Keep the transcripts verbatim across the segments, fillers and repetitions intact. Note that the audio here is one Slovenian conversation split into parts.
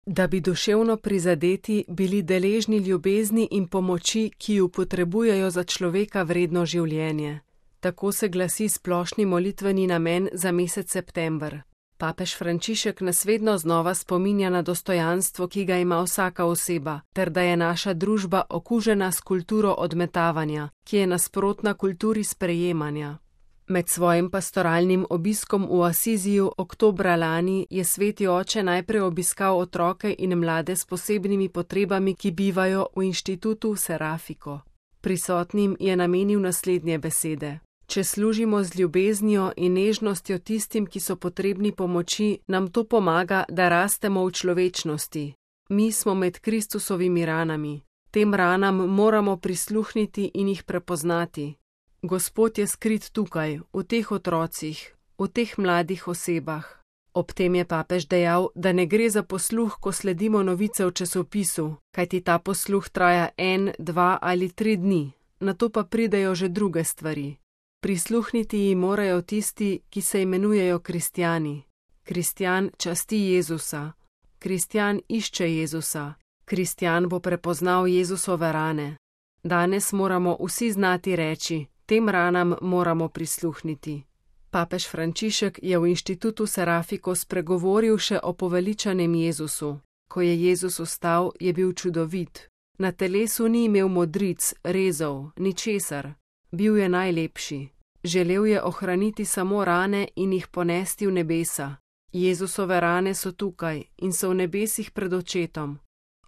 da bi duševno prizadeti bili deležni ljubezni in pomoči, ki ju potrebujejo za človeka vredno življenje. Tako se glasi splošni molitveni namen za mesec september. Papež Frančišek nas vedno znova spominja na dostojanstvo, ki ga ima vsaka oseba, ter da je naša družba okužena s kulturo odmetavanja, ki je nasprotna kulturi sprejemanja. Med svojim pastoralnim obiskom v Asiziju oktobra lani je sveti oče najprej obiskal otroke in mlade s posebnimi potrebami, ki bivajo v inštitutu Serafiko. Prisotnim je namenil naslednje besede. Če služimo z ljubeznijo in nežnostjo tistim, ki so potrebni pomoči, nam to pomaga, da rastemo v človečnosti. Mi smo med Kristusovimi ranami. Tem ranam moramo prisluhniti in jih prepoznati. Gospod je skrit tukaj, v teh otrocih, v teh mladih osebah. Ob tem je papež dejal, da ne gre za posluh, ko sledimo novice v časopisu, kajti ta posluh traja en, dva ali tri dni, nato pa pridejo že druge stvari. Prisluhniti ji morajo tisti, ki se imenujejo kristjani. Kristjan časti Jezusa. Kristjan išče Jezusa. Kristjan bo prepoznal Jezusove rane. Danes moramo vsi znati reči, tem ranam moramo prisluhniti. Papež Frančišek je v inštitutu Serafiko spregovoril še o poveličanem Jezusu. Ko je Jezus vstal, je bil čudovit. Na telesu ni imel modric, rezov, ničesar. Bil je najlepši. Želel je ohraniti samo rane in jih ponesti v nebesa. Jezusove rane so tukaj in so v nebesih pred očetom.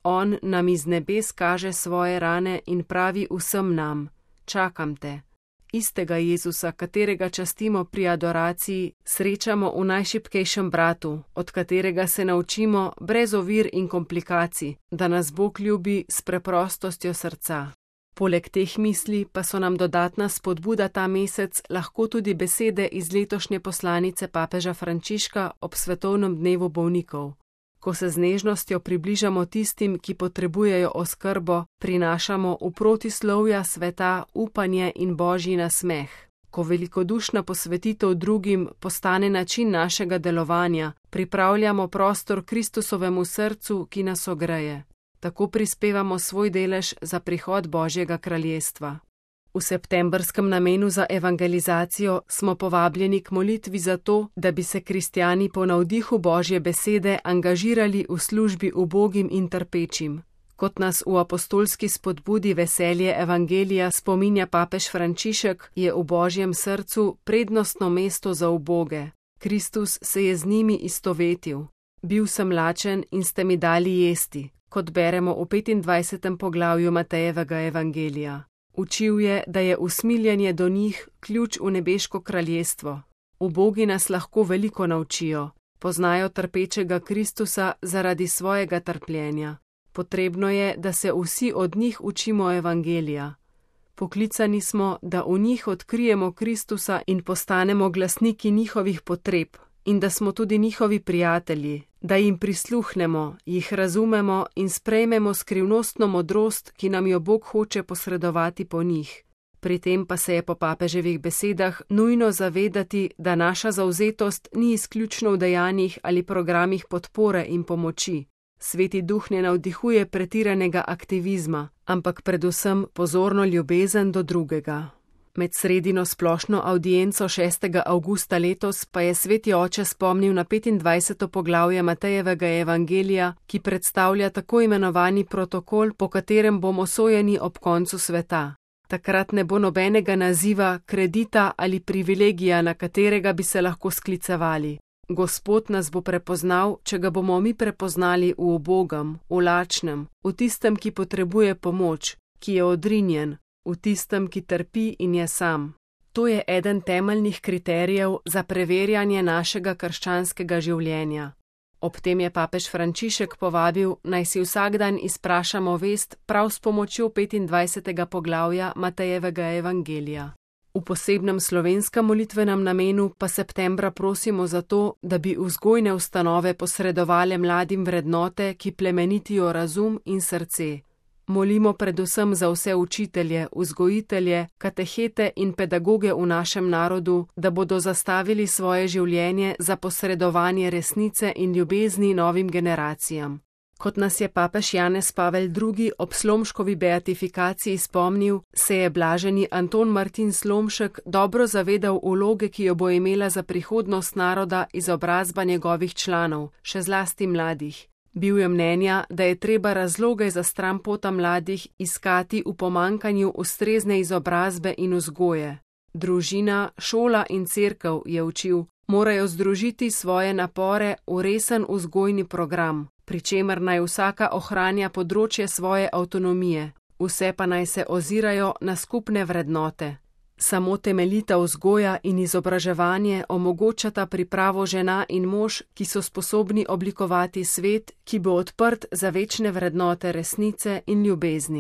On nam iz nebes kaže svoje rane in pravi vsem nam: čakam te. Istega Jezusa, katerega častimo pri adoraciji, srečamo v najšibkejšem bratu, od katerega se naučimo brez ovir in komplikacij, da nas Bog ljubi s preprostostjo srca. Poleg teh misli pa so nam dodatna spodbuda ta mesec lahko tudi besede iz letošnje poslanice papeža Frančiška ob svetovnem dnevu bolnikov. Ko se z nežnostjo približamo tistim, ki potrebujejo oskrbo, prinašamo v protislovja sveta upanje in božji nasmeh. Ko velikodušna posvetitev drugim postane način našega delovanja, pripravljamo prostor Kristusovemu srcu, ki nas ogreje. Tako prispevamo svoj delež za prihod Božjega kraljestva. V septembrskem namenu za evangelizacijo smo povabljeni k molitvi za to, da bi se kristjani po navdihu Božje besede angažirali v službi ubogim in trpečim. Kot nas v apostolski spodbudi veselje evangelija spominja papež Frančišek, je v Božjem srcu prednostno mesto za uboge. Kristus se je z njimi istovetil. Bil sem lačen in ste mi dali jesti, kot beremo v petindvajsetem poglavju Matejevega evangelija. Učil je, da je usmiljenje do njih ključ v nebeško kraljestvo. Ubogi nas lahko veliko naučijo. Poznajo trpečega Kristusa zaradi svojega trpljenja. Potrebno je, da se vsi od njih učimo evangelija. Poklicani smo, da v njih odkrijemo Kristusa in postanemo glasniki njihovih potreb, in da smo tudi njihovi prijatelji, da jim prisluhnemo, jih razumemo in sprejmemo skrivnostno modrost, ki nam jo Bog hoče posredovati po njih. Pri tem pa se je po papeževih besedah nujno zavedati, da naša zavzetost ni izključno v dejanjih ali programih podpore in pomoči. Sveti duh ne navdihuje pretiranega aktivizma, ampak predvsem pozorno ljubezen do drugega. Med sredino splošno avdienco šestega avgusta letos pa je sveti oče spomnil na petindvajseto poglavje Matejevega evangelija, ki predstavlja tako imenovani protokol, po katerem bomo sojeni ob koncu sveta. Takrat ne bo nobenega naziva, kredita ali privilegija, na katerega bi se lahko sklicevali. Gospod nas bo prepoznal, če ga bomo mi prepoznali v ubogem, v lačnem, v tistem, ki potrebuje pomoč, ki je odrinjen, v tistem, ki trpi in je sam. To je eden temeljnih kriterijev za preverjanje našega krščanskega življenja. Ob tem je papež Frančišek povabil, naj si vsak dan izprašamo vest prav s pomočjo petindvajsetega poglavja Matejevega evangelija. V posebnem slovenskem molitvenem namenu pa septembra prosimo za to, da bi vzgojne ustanove posredovale mladim vrednote, ki plemenitijo razum in srce. Molimo predvsem za vse učitelje, vzgojitelje, katehete in pedagoge v našem narodu, da bodo zastavili svoje življenje za posredovanje resnice in ljubezni novim generacijam. Kot nas je papež Janez Pavel drugi ob Slomškovi beatifikaciji spomnil, se je blaženi Anton Martin Slomšek dobro zavedal vloge, ki jo bo imela za prihodnost naroda izobrazba njegovih članov, še zlasti mladih. Bil je mnenja, da je treba razloge za stranpota mladih iskati v pomanjkanju ustrezne izobrazbe in vzgoje. Družina, šola in cerkev, je učil, morajo združiti svoje napore v resen vzgojni program, pri čemer naj vsaka ohranja področje svoje avtonomije, vse pa naj se ozirajo na skupne vrednote. Samo temeljita vzgoja in izobraževanje omogočata pripravo žena in mož, ki so sposobni oblikovati svet, ki bo odprt za večne vrednote resnice in ljubezni.